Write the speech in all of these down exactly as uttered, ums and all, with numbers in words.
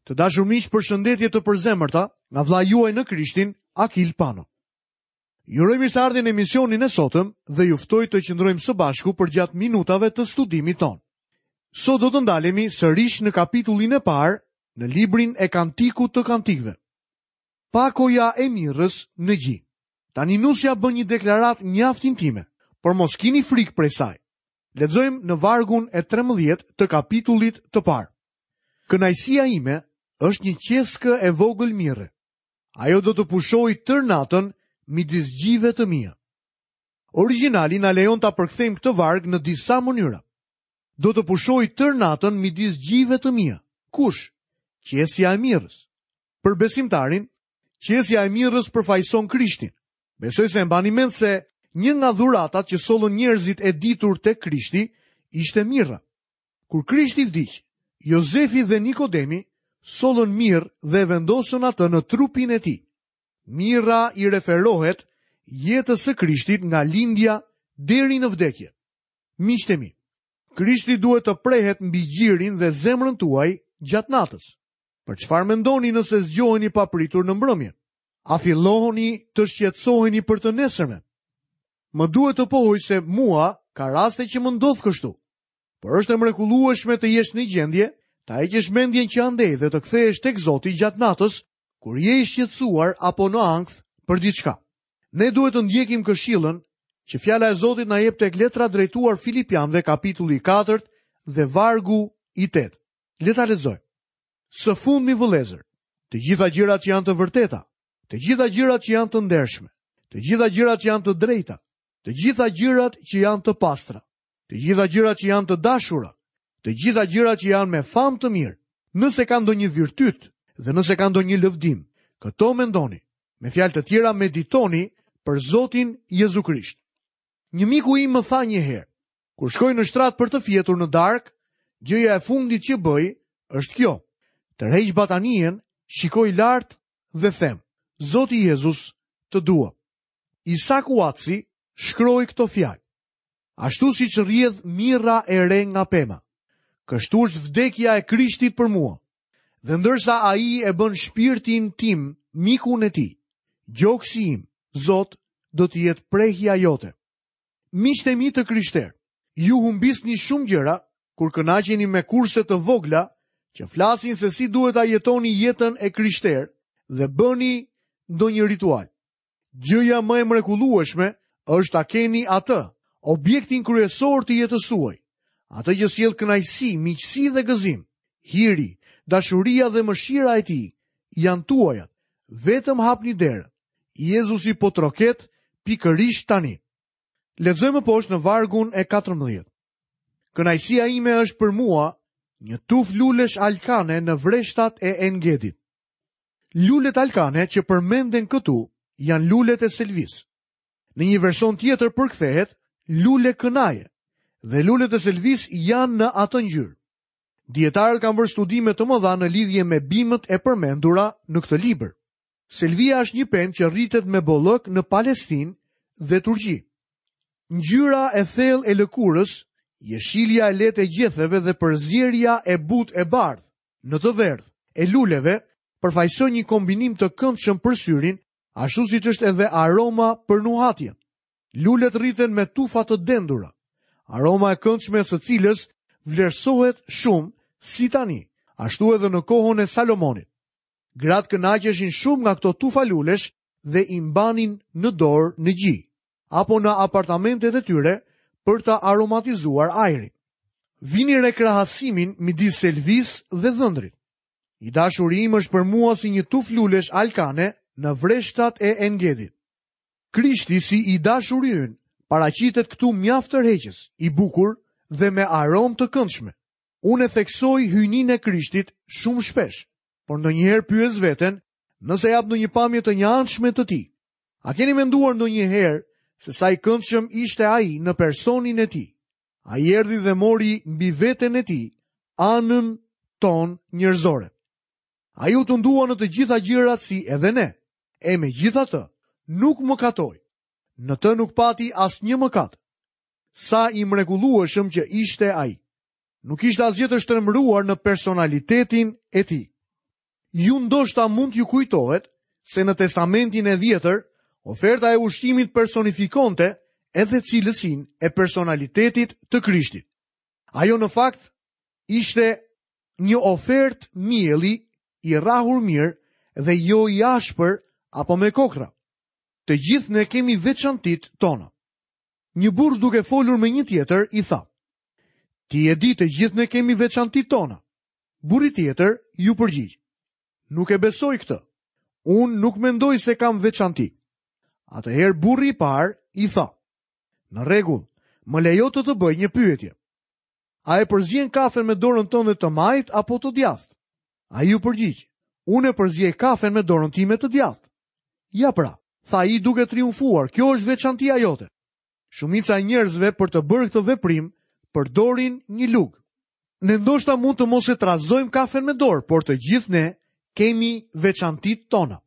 Të dashur miq, përshëndetje të përzemërta nga vëllai juaj në Krishtin, Akil Pano. Ju uroj mirëseardhjen në emisionin e sotëm dhe ju ftoj të qëndrojmë së bashku përgjatë minutave të studimit tonë. Sot do të ndalemi sërish në kapitullin e parë në librin e Kantikut të Kantikëve. Pakoja e mirrës në gji. Tani nusja bën një deklaratë mjaft intime, por mos kini frikë prej saj. Lexojmë në vargun e trembëdhjetë të kapitullit të parë. Kënaqësia ime është një qeskë e vogël mirre. Ajo do të pushojë tërë natën midis gjive të mia. Origjinali na lejon ta përkthejmë këtë varg në disa mënyra. Do të pushojë tërë natën midis gjive të mia. Kush? Qesja e mirrës. Për besimtarin, qesja e mirrës përfaqëson Krishtin. Besoj se e mbani mend se një nga dhuratat që sollën njerëzit e ditur tek Krishti ishte mirra. Kur Krishti vdiq, Jozefi dhe Nikodemi sollën mirë dhe e vendosën atë në trupin e tij. Mirra i referohet jetës së Krishtit nga lindja deri në vdekje. Miqtë e mi, Krishti duhet të prehet mbi gjirin dhe zemrën tuaj gjatë natës. Për çfarë mendoni nëse zgjoheni papritur në mbrëmje? A fillohoni të shqetësoheni për të nesërmen? Më duhet të pohoj se mua ka raste që më ndodh kështu. Por është e mrekullueshme të jesh në gjendje ta heqësh mendjen që andej dhe të kthehesh tek Zoti gjatë natës, kur je i shqetësuar apo në ankth për diçka. Ne duhet të ndjekim këshillën që fjala e Zotit na jep tek letra drejtuar Filipianëve, kapitulli i katërt dhe vargu i tetë. Le ta lexojmë. Së fundmi vëllezër, të gjitha gjërat që janë të vërteta, të gjitha gjërat që janë të ndershme, të gjitha gjërat që janë të drejta, të gjitha gjërat që janë të pastra, të gjitha gjërat që janë të dashura, të gjitha gjërat që janë me famë të mirë, nëse ka ndonjë virtyt dhe nëse ka ndonjë lëvdim, këto mendoni. Me fjalë të tjera, meditoni për Zotin Jezu Krisht. Një miku im më tha një herë, kur shkoj në shtrat për të fjetur në darkë, gjëja e fundit që bëj është kjo. Tërheq batanijen, shikoj lart dhe them, Zoti Jezus, të dua. Isak Uatsi shkroi këto fjalë. Ashtu siç rrjedh mirra e re nga pema, kështu është vdekja e Krishtit për mua. Dhe ndërsa ai e bën shpirtin tim mikun e tij, gjoksi im, Zot, do të jetë prehja jote. Miqtë e mi të krishterë, ju humbisni shumë gjëra kur kënaqeni me kurse të vogla që flasin se si duhet ta jetoni jetën e krishterë dhe bëni ndonjë ritual. Gjëja më e mrekullueshme është ta keni atë, objektin kryesor të jetës suaj, atë që sjell kënaqësi, miqësi dhe gëzim. Hiri, dashuria dhe mëshira e tij janë tuajat. Vetëm hapni derën. Jezusi po troket pikërisht tani. Lexojmë poshtë në vargun e katërmbëdhjetë. Kënaqësia ime është për mua një tuf lulesh alkane në vreshtat e Engedit. Lulet alkane që përmenden këtu janë lulet e selvisë. Në një version tjetër përkthehet lule kënaje, dhe lulet e selvisë janë në atë ngjyrë. Dietarët kanë bërë studime të mëdha në lidhje me bimët e përmendura në këtë libër. Selvia është një pemë që rritet me bollëk në Palestinë dhe Turqi. Ngjyra e thellë e lëkurës, jeshilja e lehtë e gjetheve dhe përzierja e butë e bardhë në të verdhë e luleve përfaqësojnë një kombinim të këndshëm për syrin, ashtu siç është edhe aroma për nuhatjen. Lulet rriten me tufa të dendura, aroma e këndshme e së cilës vlerësohet shumë si tani, ashtu edhe në kohën e Salomonit. Gratë kënaqeshin shumë nga këto tufa lulesh dhe i mbanin në dorë në gji, apo në apartamentet e tyre për ta aromatizuar ajrin. Vini re krahasimin midis selvisë dhe dhëndrit. I dashuri im është për mua si një tuf lulesh alkane në vreshtat e Engedit. Krishti si i dashuri ynë paraqitet këtu mjaft tërheqës, i bukur dhe me aromë të këndshme. Unë e theksoj hyjninë e Krishtit shumë shpesh, por ndonjëherë pyes veten nëse jap ndonjë pamje të njëanshme të tij. A keni menduar ndonjëherë se sa i këndshëm ishte ai në personin e tij? Ai erdhi dhe mori mbi veten e tij anën tonë njerëzore. Ai u tundua në të gjitha gjërat si edhe ne, e megjithatë nuk mëkatoi. Në të nuk pati asnjë mëkat. Sa i mrekullueshëm që ishte ai. Nuk ishte asgjë të shtrembëruar në personalitetin e tij. Ju ndoshta mund t'ju kujtohet se në Testamentin e Vjetër, oferta e ushqimit personifikonte edhe cilësinë e personalitetit të Krishtit. Ajo në fakt ishte një ofertë mielli i rrahur mirë dhe jo i ashpër apo me kokra. Të gjithë ne kemi veçantitë tona. Një burrë duke folur me një tjetër i tha: "Ti e di, të gjithë ne kemi veçantitë tona." Burri tjetër ju përgjigj: "Nuk e besoj këtë. Unë nuk mendoj se kam veçanti." Atëherë burri i parë i tha: "Në rregull, më lejo të të bëj një pyetje. A e përzien kafen me dorën tënde të majtë apo të djathtë?" Ai ju përgjigj: "Unë e përziej kafen me dorën time të djathtë." "Ja pra," tha ai duke triumfuar, "kjo është veçantia jote." Shumica e njerëzve për të bërë këtë veprim përdorin një lugë. Ne ndoshta mund të mos e trazojmë kafen me dorë, por të gjithë ne kemi veçantitë tona.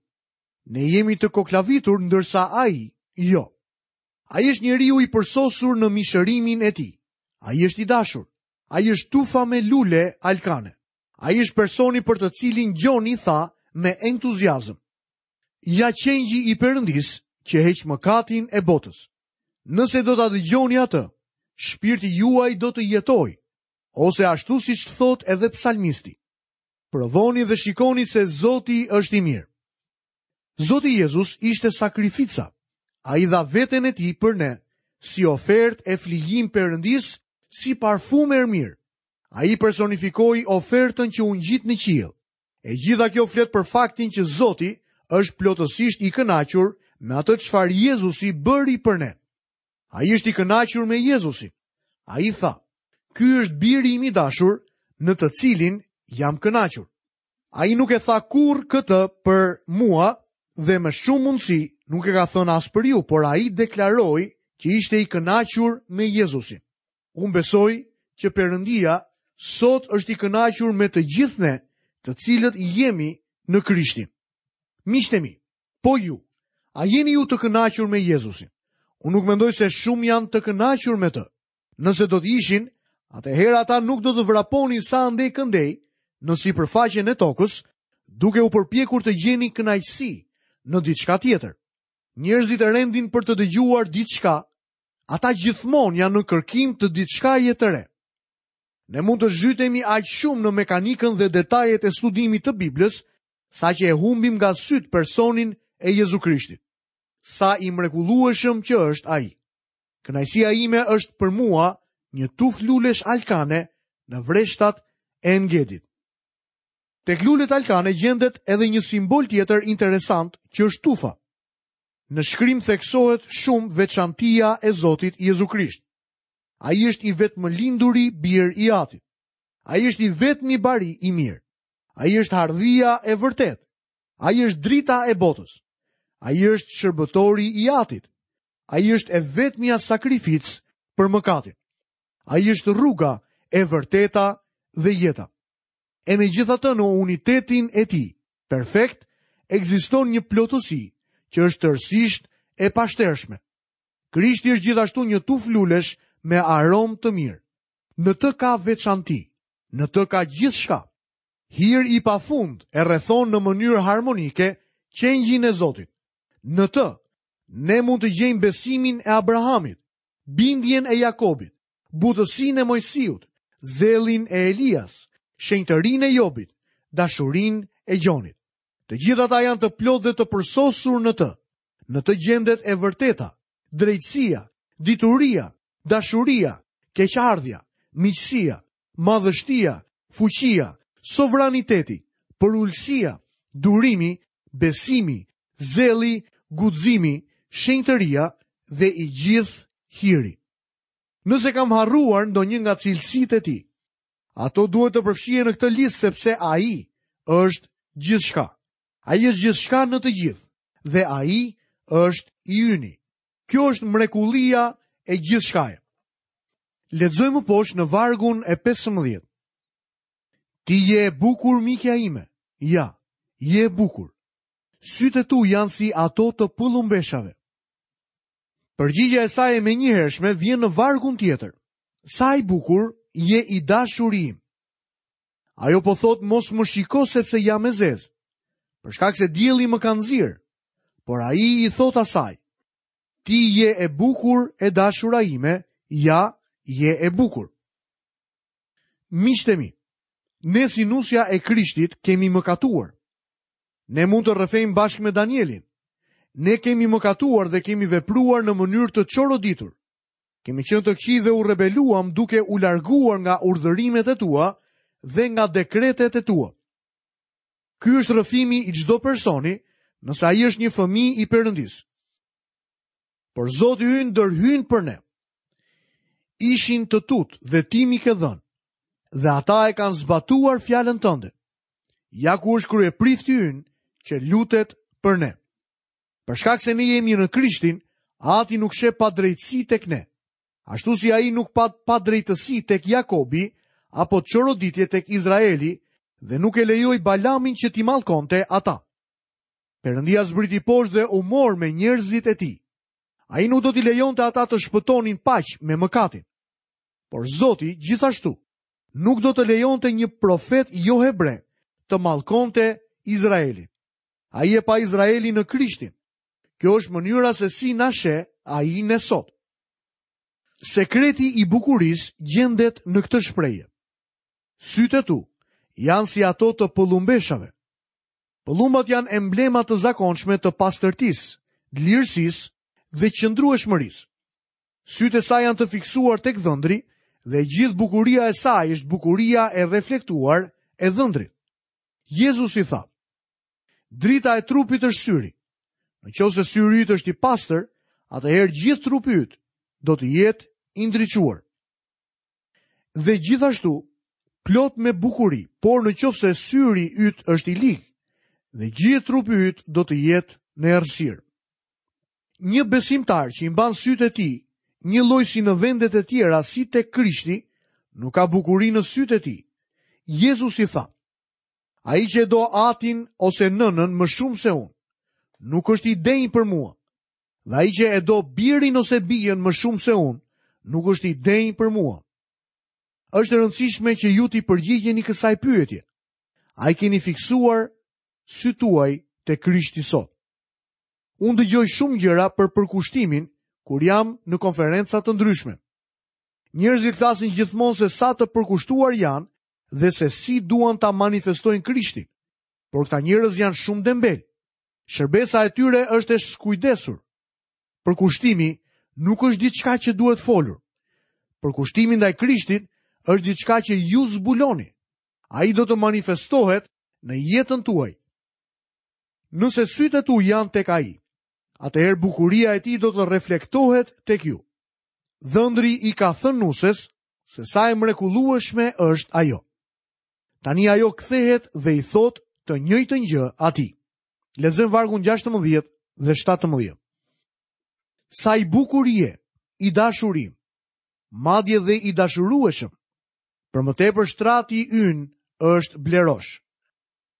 Ne jemi të koklavitur, ndërsa ai jo. Ai është njeriu i përsosur në mishërimin e tij. Ai është i dashur. Ai është tufa me lule alkane. Ai është personi për të cilin Gjoni tha me entuziazëm: "Ja qengji i Perëndisë që heq mëkatin e botës. Nëse do ta dëgjoni atë, shpirti juaj do të jetojë," ose ashtu siç thot edhe psalmisti: "Provoni dhe shikoni se Zoti është i mirë." Zoti Jezus ishte sakrifica. Ai dha veten e tij për ne, si ofertë e flijim Perëndisë, si parfum e mirë. Ai personifikoi ofertën që u ngjit në qiell. E gjitha kjo flet për faktin që Zoti është plotësisht i kënaqur me atë çfarë Jezusi bëri për ne. Ai është i kënaqur me Jezusin. Ai tha: "Ky është biri im i dashur, në të cilin jam kënaqur." Ai nuk e tha kurrë këtë për mua dhe me shumë mundësi nuk e ka thënë as për ju, por ai deklaroi që ishte i kënaqur me Jezusin. Unë besoj që Perëndia sot është i kënaqur me të gjithë ne, të cilët jemi në Krishtin. Miqtë e mi, po ju, a jeni ju të kënaqur me Jezusin? Unë nuk mendoj se shumë janë të kënaqur me të. Nëse do të ishin, atëherë ata nuk do të vraponin sa andej këndej në sipërfaqen e tokës, duke u përpjekur të gjeni kënaqësi në diçka tjetër. Njerëzit e rendin për të dëgjuar diçka, ata gjithmonë janë në kërkim të diçkaje të re. Ne mund të zhytemi aq shumë në mekanikën dhe detajet e studimit të Biblës, saqë e humbim nga syt personin e Jezu Krishtit. Sa i mrekullueshëm që është ai. Kënaqësia ime është për mua një tufë lulesh alkane në vreshtat e Engedit. Tek lulet alkane gjendet edhe një simbol tjetër interesant që është tufa. Në shkrim theksohet shumë veçantia e Zotit Jezu Krisht. Ai është i vetëmlinduri bir i Atit. Ai është i vetmi bari i mirë. Ai është hardhia e vërtetë. Ai është drita e botës. Ai është shërbëtori i Atit. Ai është e vetmja sakrificë për mëkatin. Ai është rruga e vërteta dhe jeta. E megjithatë në unitetin e tij perfekt ekziston një plotësi që është tërësisht e pashtershme. Krishti është gjithashtu një tufë lulesh me aromë të mirë. Në të ka veçanti, në të ka gjithçka. Hir i pafund e rrethon në mënyrë harmonike qengjin e Zotit. Në të, ne mund të gjejmë besimin e Abrahamit, bindjen e Jakobit, butësinë e Mojsiut, zellin e Elias, shenjtërinë e Jobit, dashurinë e Gjonit. Të gjithë ata janë të plotë dhe të përsosur në të. Në të gjendet e vërteta, drejtësia, dituria, dashuria, keqardhja, miqësia, madhështia, fuqia, sovraniteti, përulësia, durimi, besimi, zelli, guximi, shenjtëria dhe i gjithë hiri. Nëse kam harruar ndonjë nga cilësitë e tij, ato duhet të përfshihen në këtë listë sepse ai është gjithçka. Ai është gjithçka në të gjithë dhe ai është i yni. Kjo është mrekullia e gjithçkaje. Lexojmë poshtë në vargun e pesëmbëdhjetë. Ti je e bukur, mikja ime. Ja, je e bukur. Sytë e tu janë si ato të pëllumbeshave. Përgjigja e saj e menjëhershme vjen në vargun tjetër. Sa i bukur je i dashuri im. Ajo po thot mos më shiko sepse jam e zezë. Për shkak se dielli më ka nxirë. Por ai i thotë asaj: Ti je e bukur, e dashura ime, ja, je e bukur. Miqtë e mi, ne si nusja e Krishtit kemi mëkatuar. Ne mund të rrëfejmë bashkë me Danielin. Ne kemi mëkatuar dhe kemi vepruar në mënyrë të çoroditur. Kemi qenë të këqij dhe u rebeluam duke u larguar nga urdhërimet e tua dhe nga dekretet e tua. Ky është rrëfimi i çdo personi, nëse ai është një fëmijë i Perëndisë. Por Zoti ynë ndërhyn për ne. Ishin të tut dhe ti m'i ke dhënë, dhe ata e kanë zbatuar fjalën tënde. Ja ku është kryeprifti ynë që lutet për ne. Për shkak se ne jemi në Krishtin, Ati nuk sheh padrejtësi tek ne. Ashtu si ai nuk pa padrejtësi tek Jakobi apo çoroditje tek Izraeli dhe nuk e lejoi Balamin që t'i mallkonte ata. Perëndia zbriti poshtë dhe u mor me njerëzit e tij. Ai nuk do t'i lejonte ata të shpëtonin paq me mëkatin. Por Zoti gjithashtu nuk do të lejonte një profet jo hebre të mallkonte Izraelin. Ai e pa Izraelin në Krishtin. Kjo është mënyra se si na sheh ai ne sot. Sekreti i bukurisë gjendet në këtë shprehje. Sytë e tu janë si ato të pëllumbeshave. Pëllumbat janë emblema të zakonshme të pastërtisë, dlirësisë dhe qëndrueshmërisë. Sytë e saj janë të fiksuar tek dhëndri dhe gjithë bukuria e saj është bukuria e reflektuar e dhëndrit. Jezusi tha: Drita e trupit është syri. Në qoftë se syri yt është i pastër, atëherë gjithë trupi yt do të jetë i ndriçuar. Dhe gjithashtu plot me bukuri, por në qoftë se syri yt është i lig, dhe gjithë trupi yt do të jetë në errësirë. Një besimtar që i mban sytë e tij, një lloj si në vendet e tjera si tek Krishti, nuk ka bukuri në sytë e tij. Jezusi tha: Ai që e do atin ose nënën më shumë se unë, nuk është i denjë për mua. Dhe ai që e do birin ose bijën më shumë se unë, nuk është i denjë për mua. Është e rëndësishme që ju t'i përgjigjeni kësaj pyetje. A i keni fiksuar sytë tuaj te Krishti sot? Unë dëgjoj shumë gjëra për përkushtimin kur jam në konferenca të ndryshme. Njerëzit flasin gjithmonë se sa të përkushtuar janë dhe se si duan ta manifestojnë Krishtin. Por këta njerëz janë shumë dembel. Shërbesa e tyre është e skujdesur. Përkushtimi nuk është diçka që duhet folur. Përkushtimi ndaj Krishtit është diçka që ju zbuloni. Ai do të manifestohet në jetën tuaj. Nëse sytë e tu janë tek ai, atëherë bukuria e tij do të reflektohet tek ju. Dhëndri i ka thënë nuses se sa e mrekullueshme është ajo. Tani ajo kthehet dhe i thotë të njëjtën gjë atij. Lexojmë vargun gjashtëmbëdhjetë dhe shtatëmbëdhjetë. Sa i bukur je, i dashur im, madje dhe i dashurueshëm. Për më tepër shtrati ynë është blerosh.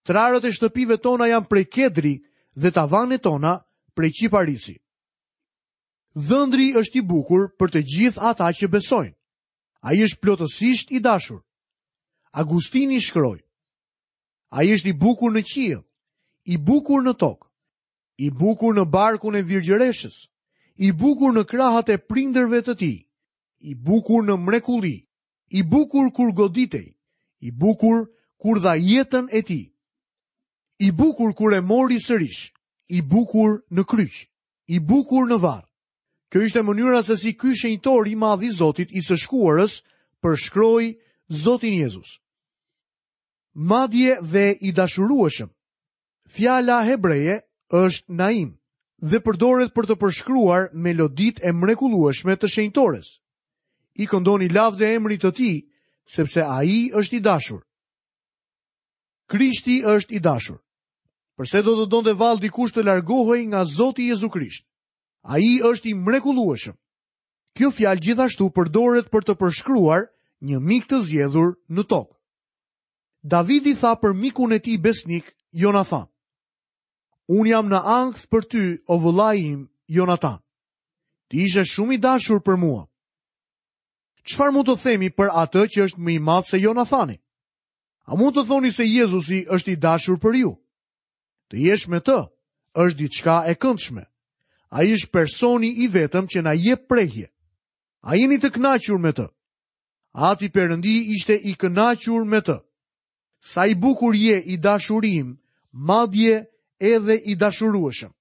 Trarët e shtëpive tona janë prej kedri dhe tavanet tona prej qiparisi. Dhëndri është i bukur për të gjithë ata që besojnë. Ai është plotësisht i dashur. Agustini shkroi: Ai është i bukur në qiell, i bukur në tokë, i bukur në barkun e virgjëreshës, i bukur në krahët e prindërve të tij, i bukur në mrekulli, i bukur kur goditej, i bukur kur dha jetën e tij, i bukur kur e mori sërish, i bukur në kryq, i bukur në varr. Kjo ishte mënyra se si ky shenjtor i madh i Zotit i së shkuarës përshkroi Zotin Jezus. Madje dhe i dashurueshëm. Fjala hebreje është naim dhe përdoret për të përshkruar meloditë e mrekullueshme të shenjtores. I këndoni lavde emrit të tij, sepse ai është i dashur. Krishti është i dashur. Përse do të donte vallë dikush të largohej nga Zoti Jezu Krisht? Ai është i mrekullueshëm. Kjo fjalë gjithashtu përdoret për të përshkruar një mik të zgjedhur në tokë. Davidi tha për mikun e tij besnik Jonathan: Unë jam në ankth për ty, o vëllai im, Jonathan. Ti ishe shumë i dashur për mua. Çfarë mund të themi për atë që është më i madh se Jonathani? A mund të thoni se Jezusi është i dashur për ju? Të jesh me të është diçka e këndshme. Ai është personi i vetëm që na jep prehje. A jeni të kënaqur me të? Ati Perëndi ishte i kënaqur me të. Sa i bukur je i dashuri im, madje edhe i dashurueshëm.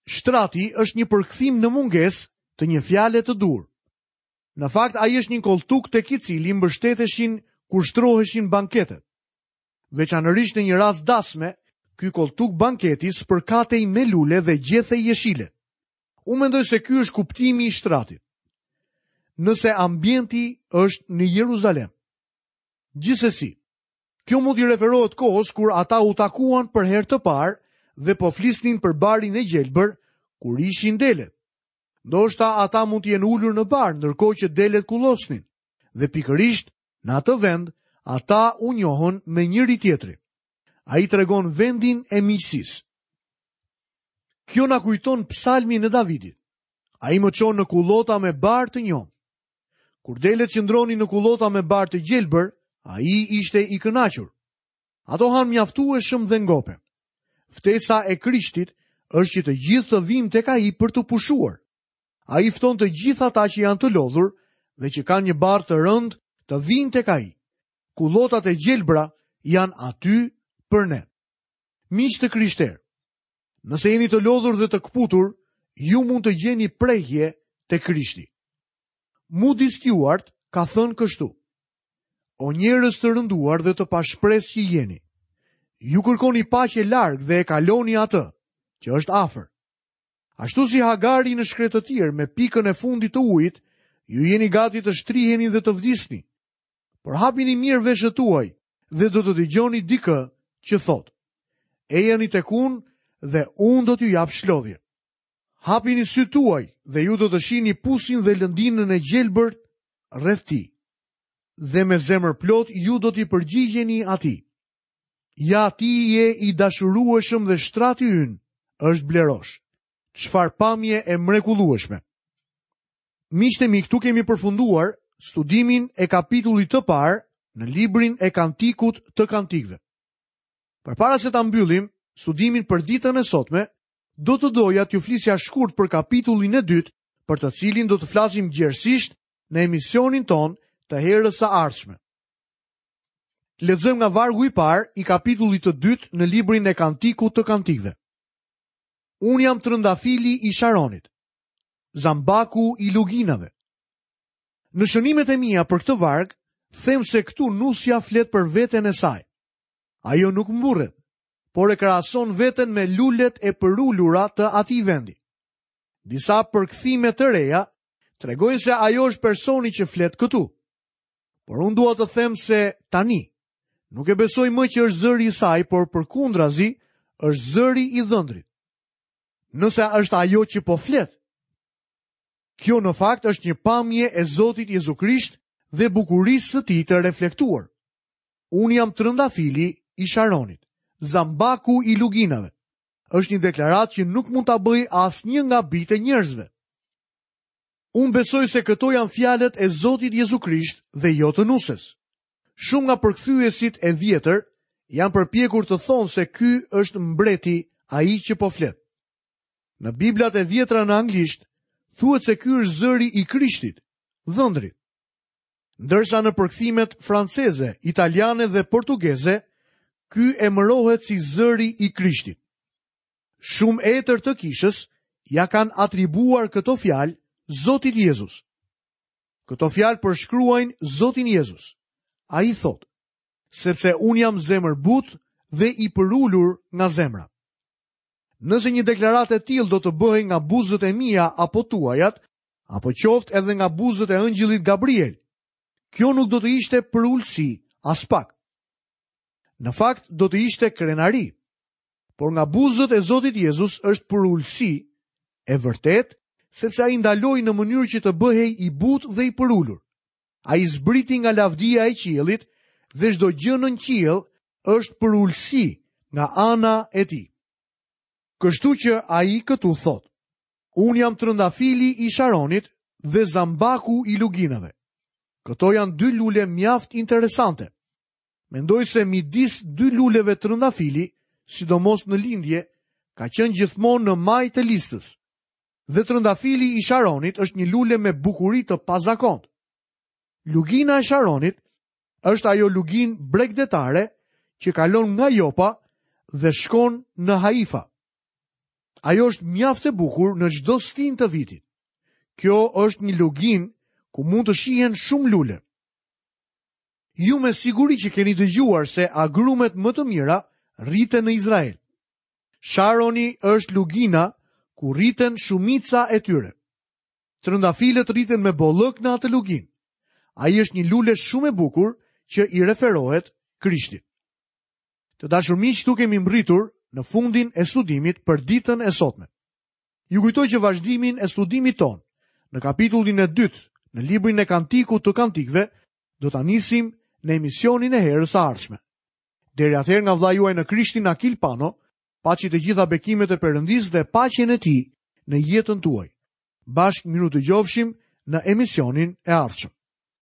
Shtrati është një përkthim në mungesë të një fjale të duhur. Në fakt, ai është një kolltuk tek i cili mbështeteshin kur shtroheshin banketet. Veçanërisht në një rast dasme, ky kolltuk banketi spërkatej me lule dhe gjethe jeshile. Unë mendoj se ky është kuptimi i shtratit. Nëse ambienti është në Jeruzalem. Gjithsesi, kjo mund t'i referohet kohës kur ata u takuan për herë të parë dhe po flisnin për barin e gjelbër kur ishin delet. Ndoshta ata mund të jenë ulur në bar ndërkohë që delet kullosnin, dhe pikërisht në atë vend ata u njohën me njëri tjetrin. Ai tregon vendin e miqësisë. Kjo na kujton psalmin e Davidit. Ai më çon në kullota me bar të njomë. Kur delet qëndronin në kullota me bar të gjelbër, ai ishte i kënaqur. Ato hanë mjaftueshëm dhe ngopen. Ftesa e Krishtit është që të gjithë të vijmë tek ai për të pushuar. Ai fton të gjithë ata që janë të lodhur dhe që kanë një barrë të rëndë të vijnë tek ai. Kullotat e gjelbra janë aty për ne. Miq të krishterë, nëse jeni të lodhur dhe të kputur, ju mund të gjeni prehje te Krishti. Moody Stewart ka thënë kështu: O njerëz të rënduar dhe të pashpresë që jeni, ju kërkoni paqe larg dhe e kaloni atë që është afër. Ashtu si Hagari në shkretëtirë me pikën e fundit të ujit, ju jeni gati të shtriheni dhe të vdisni. Por hapini mirë veshët tuaj dhe do të dëgjoni dikë që thotë: Ejani tek unë dhe unë do t'ju jap shlodhje. Hapini sytë tuaj dhe ju do të shihni pusin dhe lëndinën e gjelbërt rreth tij. Dhe me zemër plot ju do t'i përgjigjeni atij. Ja, ti je i dashurueshëm dhe shtrati ynë është blerosh. Çfarë pamje e mrekullueshme. Miqtë e mi, këtu kemi përfunduar studimin e kapitullit të parë në librin e Kantikut të Kantikëve. Përpara se ta mbyllim studimin për ditën e sotme, do të doja t'ju flisja shkurt për kapitullin e dytë, për të cilin do të flasim gjerësisht në emisionin ton të herës së ardhshme. Lexojmë nga vargu i parë i kapitullit të dytë në librin e Kantikut të Kantikëve. Unë jam trëndafili i Sharonit, zambaku i luginave. Në shënimet e mia për këtë varg, them se këtu nusja flet për veten e saj. Ajo nuk mburret, por e krahason veten me lulet e përulura të atij vendi. Disa përkthime të reja tregojnë se ajo është personi që flet këtu. Por unë dua të them se tani nuk e besoj më që është zëri i saj, por përkundrazi është zëri i dhëndrit. Nëse është ajo që po flet. Kjo në fakt është një pamje e Zotit Jezu Krisht dhe bukurisë së tij të reflektuar. Unë jam trëndafili i Sharonit, zambaku i luginave. Është një deklaratë që nuk mund ta bëj asnjë nga bijtë e njerëzve. Unë besoj se këto janë fjalët e Zotit Jezu Krisht dhe jo të nuses. Shumë nga përkthyesit e vjetër janë përpjekur të thonë se ky është mbreti, ai që po flet. Në Biblat e vjetra në anglisht thuhet se ky është zëri i Krishtit, dhëndrit. Ndërsa në përkthimet franceze, italiane dhe portugeze, ky emërohet si zëri i Krishtit. Shumë etër të kishës ja kanë atribuar këto fjalë Zotit Jezus. Këto fjalë përshkruajnë Zotin Jezus. Ai thotë: sepse unë jam zemërbut dhe i përulur nga zemra. Nëse një deklaratë e tillë do të bëhej nga buzët e mia apo tuajat, apo qoftë edhe nga buzët e ëngjëllit Gabriel, kjo nuk do të ishte përulësi as pak. Në fakt do të ishte krenari, por nga buzët e Zotit Jezus është përulësi e vërtet, sepse ai ndaloi në mënyrë që të bëhej i butë dhe i përulur. Ai zbriti nga lavdia e qiellit dhe çdo gjë në qiell është përulësi nga ana e tij. Kështu që ai këtu thotë: Unë jam trëndafili i Sharonit dhe zambaku i luginave. Këto janë dy lule mjaft interesante. Mendoj se midis dy luleve trëndafili, sidomos në lindje, ka qenë gjithmonë në majë të listës. Dhe trëndafili i Sharonit është një lule me bukuri të pazakontë. Lugina e Sharonit është ajo luginë bregdetare që kalon nga Jopa dhe shkon në Haifa. Ajo është mjaft e bukur në çdo stinë të vitit. Kjo është një luginë ku mund të shihen shumë lule. Ju me siguri që keni dëgjuar se agrumet më të mira rriten në Izrael. Sharoni është lugina ku rriten shumica e tyre. Trëndafilët rriten me bollëk në atë luginë. Ai është një lule shumë e bukur që i referohet Krishtit. Të dashur miq, këtu kemi mbërritur në fundin e studimit për ditën e sotme. Ju kujtoj që vazhdimin e studimit tonë në kapitullin e dytë në librin e Kantikut të Kantikëve do ta nisim në emisionin e herës së ardhshme. Deri atëherë nga vëllai juaj në Krishtin Akil Pano, paçi të gjitha bekimet e Perëndisë dhe paqen e tij në jetën tuaj. Bashkë mirudëgjofshim në emisionin e ardhshëm.